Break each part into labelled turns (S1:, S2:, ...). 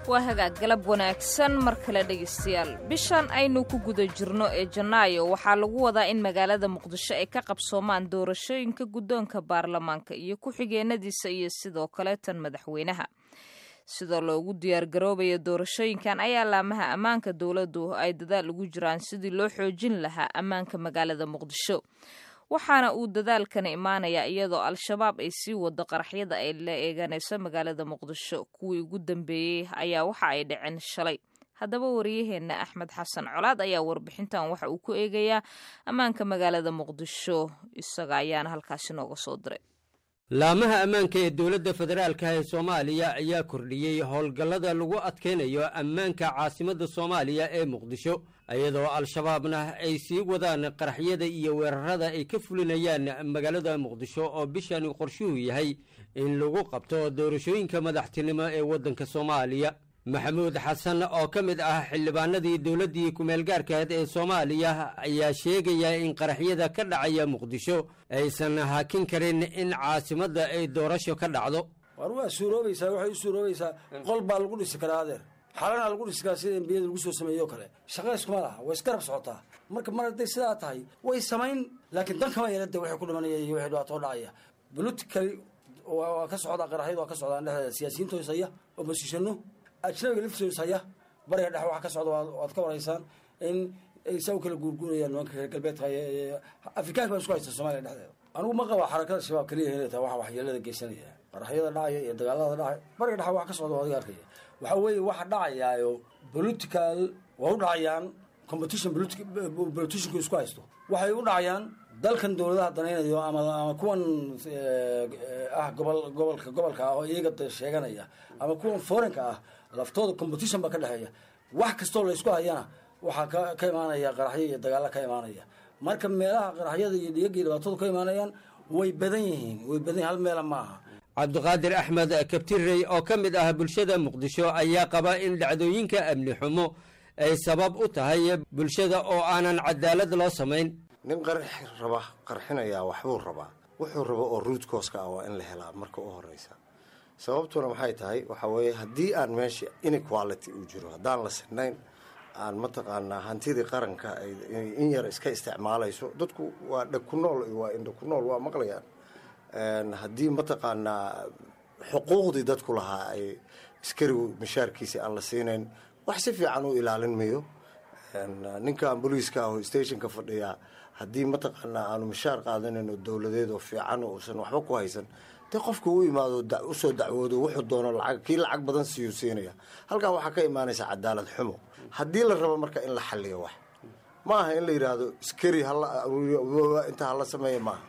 S1: Waa hagaag, galab wanaagsan mar kale dhegaystayaal. Bishan aynu ku guda jirno ee Janaayo waxaa lagu wadaa in magaalada Muqdisho ay ka qabsoomaan doorashooyinka guddoonka baarlamaanka iyo ku-xigeenadiisa iyo sidoo kale tan madaxweynaha. Sidoo loogu diyaargaroobayo doorashooyinkan ayaa laamaha ammaanka dowladdu ay dadaal ugu jiraan sidii loo xoojin lahaa ammaanka magaalada Muqdisho, waxaana uu dadaalkani imaanayaa iyadoo Al-Shabaab ay sii wado qaraxyada ay la eeganayso magaalada Muqdisho. Kuwii ugu dambeeyey ayaa waxa ay dhaceen shalay. Haddaba wariyaheenna Axmed Xasan Colaad ayaa warbixintan waxa uu ku eegayaa ammaanka magaalada Muqdisho, isaga ayaana halkaasi nooga soo diray.
S2: Laamaha ammaanka ee dowladda federaalka ee Soomaaliya ayaa kordhiyey howlgallada lagu adkaynayo ammaanka caasimadda Soomaaliya ee Muqdisho, iyadoo Al-Shabaabna ay sii wadaan qaraxyada iyo weerarada ay ka fulinayaan magaalada Muqdisho, oo bishani qorshuhu yahay in lagu qabto doorashooyinka madaxtinimo ee waddanka Soomaaliya. Maxamuud Xasan oo ka mid ah xildhibaanadii dowladdii kumeelgaarkaheed ee Soomaaliya ayaa sheegaya in qaraxyada ka dhacaya Muqdisho aysan hakin karin in caasimadda ay doorasho ka dhacdo.
S3: War waa suuroobaysaa, waxay u suuroobaysaa qol baa lagu dhisi karaa, adeer, xalanaa lagu dhisi karaa, sida embiyada lagu soo sameeyo kale. Shaqa iskuma laha, way isgarab socotaa. Marka mar hadday sidaa tahay way samayn, laakiin dan kama yeelada waxay ku dhimanaya iyo waxay dhibaato dhacaya. Politically waa ka socdaa, qaraxyada waa ka socdaan dhexdeeda, siyaasiyiinta haya, oppositionu, ajnabiga laftiisa haya. Bariga Dhexe waxa ka socda waad ka waraysaan, in ay saa u kala guurguurayaan nimanka reer galbeedka, Afrikaanka baa isku haysta Soomaaliya dhexdeeda. Anigu ma qaba xarakada Shabaab keliya inay tahay waxa waxyeelada geysanaya, qaraxyada dhacaya iyo dagaalada dhacaya. Bariga Dhexe waxa ka socda waa adiga arkaya. Waxa weeye waxa dhacayaayo political waa u dhacayaan, competition politicianku isku haysto waxay u dhacayaan. Dalkan dowladaha danaynayo ama kuwan ah gobol gobolka gobolka ah oo iyaga sheeganaya ama kuwan foreignka ah laftooda, competition baa ka dhexeeya. Wax kastoo la isku hayana waxaa ka imaanaya qaraxyo iyo dagaalo ka imaanaya. Marka meelaha qaraxyada iyo dhiyaga iyo dhibaatadu ka imaanayaan way badan yihiin, way badan yihin, hal meela ma aha.
S2: Cabdiqaadir Axmed Kabtirey oo ka mid ah bulshada Muqdisho ayaa qaba in dhacdooyinka amni xumo ay sabab u tahay bulshada oo aanan cadaalad loo samayn.
S4: Nin qarx raba, qarxinayaa waxbuu rabaa, wuxuu rabo oo root cause-ka ah waa in la helaa marka u horeysa. Sababtuna maxay tahay? Waxaa weeye haddii aan meesha inequality uu jiro, haddaan la sinayn, aan mataqaanaa hantidii qaranka in yar iska isticmaalayso, dadku waa dhag ku nool iyo waa indha ku nool, waa maqlayaan. Haddii mataqaanaa xuquuqdii dadku lahaa ay askarigu mishaarkiisi aan la siinayn, wax si fiican u ilaalin mayo. Ninkan booliiska ah oo stationka fadhiyaa, haddii mataqaanaa aanu mishaar qaadanayn oo dowladeed oo fiican uusan waxba ku haysan, dee qofka u imaado usoo dacwoodo, wuxuu doono lacag, kii lacag badan siiyuu siinaya. Halkaa waxaa ka imaanaysa cadaalad xumo. Haddii la rabo marka in la xaliyo wax, ma aha in la yidhaahdo askari hala inta hala sameeya, maaha.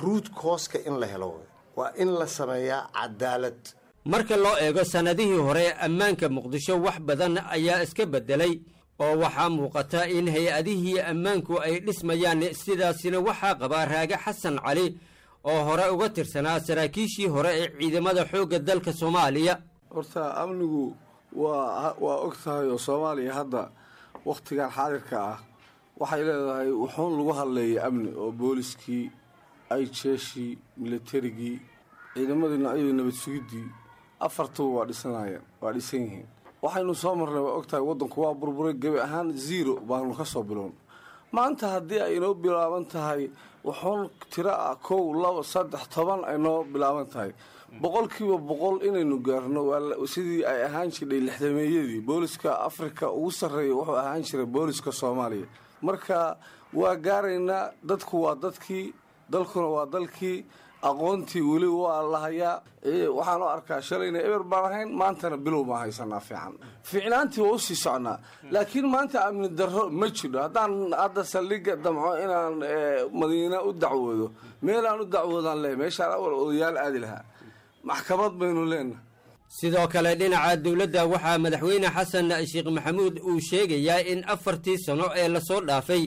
S4: Root cause-ka in la helo waa in la sameeyaa cadaalad.
S2: Marka loo eego sannadihii hore, ammaanka Muqdisho wax badan ayaa iska beddelay, oo waxaa muuqata in hay-adihii ammaanku ay dhismayaan. Sidaasina waxaa qabaa Raage Xasan Cali oo hore uga tirsanaa saraakiishii hore ee ciidamada xoogga dalka Soomaaliya.
S5: Horta amnigu waa og tahay oo Soomaaliya hadda wakhtigan xaadirka ah waxay leedahay wuxuun lagu hadleeyay amni, oo booliskii ay, jeeshii, militarigii, ciidamadii noocyadii, nabad sugiddii, afartuba waa dhisanayaan, waa dhisan yihiin. Waxaynu soo marnay waa og tahay, waddanku waa burburay gebi ahaan, zero baanu ka soo bilown. Maanta haddii ay inoo bilaaban tahay wuxuun tiro ah, 1, 2, 3, 10 ay noo bilaaban tahay, 100% inaynu gaarno sidii ay ahaan jirdhay lixdameeyadii. Booliska Afrika ugu sarreeya wuxuu ahaan jiray booliska Soomaaliya. Marka waa gaaraynaa. Dadku waa dadkii, dalkuna waa dalkii, aqoontii weli waa la hayaa. Waxaan u arkaa shalayna eber baan ahayn, maantana bilow baan haysanaa fiican, fiicnaantii waa usii socnaa, laakiin maanta amni darro ma jidho. Haddaan hadda saldhigga damco inaan Madiina u dacwoodo, meelaan u dacwoodaan leh, meeshaan awal odayaal aadi lahaa, maxkamad baynu leenahay.
S2: Sidoo kale dhinaca dowladda waxaa madaxweyne Xasan Sheekh Maxamuud uu sheegayaa in 4-tii sano ee lasoo dhaafay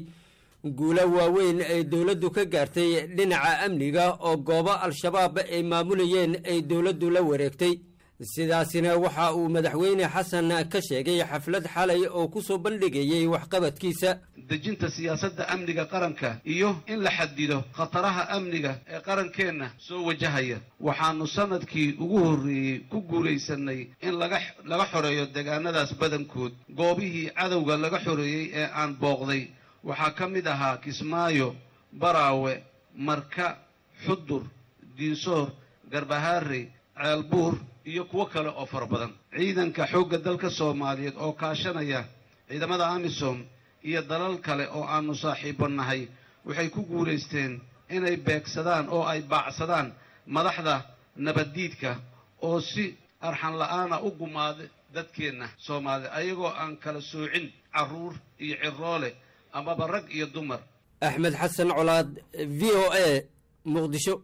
S2: guulo waaweyn ay dowladdu ka gaartay dhinaca amniga, oo goobo Al-Shabaab ay maamulayeen ay dowladdu la wareegtay. Sidaasina waxa uu Madaxweyne Xasan ka sheegay xaflad xalay oo ku soo bandhigayey waxqabadkiisa.
S6: Dejinta siyaasadda amniga qaranka iyo in la xadido khataraha amniga ee qarankeenna soo wajahaya. Waxaannu sannadkii ugu horreeyey ku guulaysanay in laga xoreeyo deegaanadaas badankood. Goobihii cadowga laga xoreeyey ee aan booqday waxaa ka mid ahaa Kismaayo, Baraawe, Marka, Xudur, Diinsoor, Garbahaarey, Ceelbuur iyo kuwo kale oo fara badan. Ciidanka xoogga dalka Soomaaliyeed oo kaashanaya ciidamada AMISOM iyo dalal kale oo aanu saaxiibo nahay waxay ku guulaysteen inay beegsadaan oo ay baacsadaan madaxda nabaddiidka oo si arxan la'aana u gumaada dadkeenna Soomaalida, ayagoo aan kala soocin carruur iyo ciroole amaba rag iyo dumar.
S2: Axmed Xasan Colaad, VOA, Muqdisho.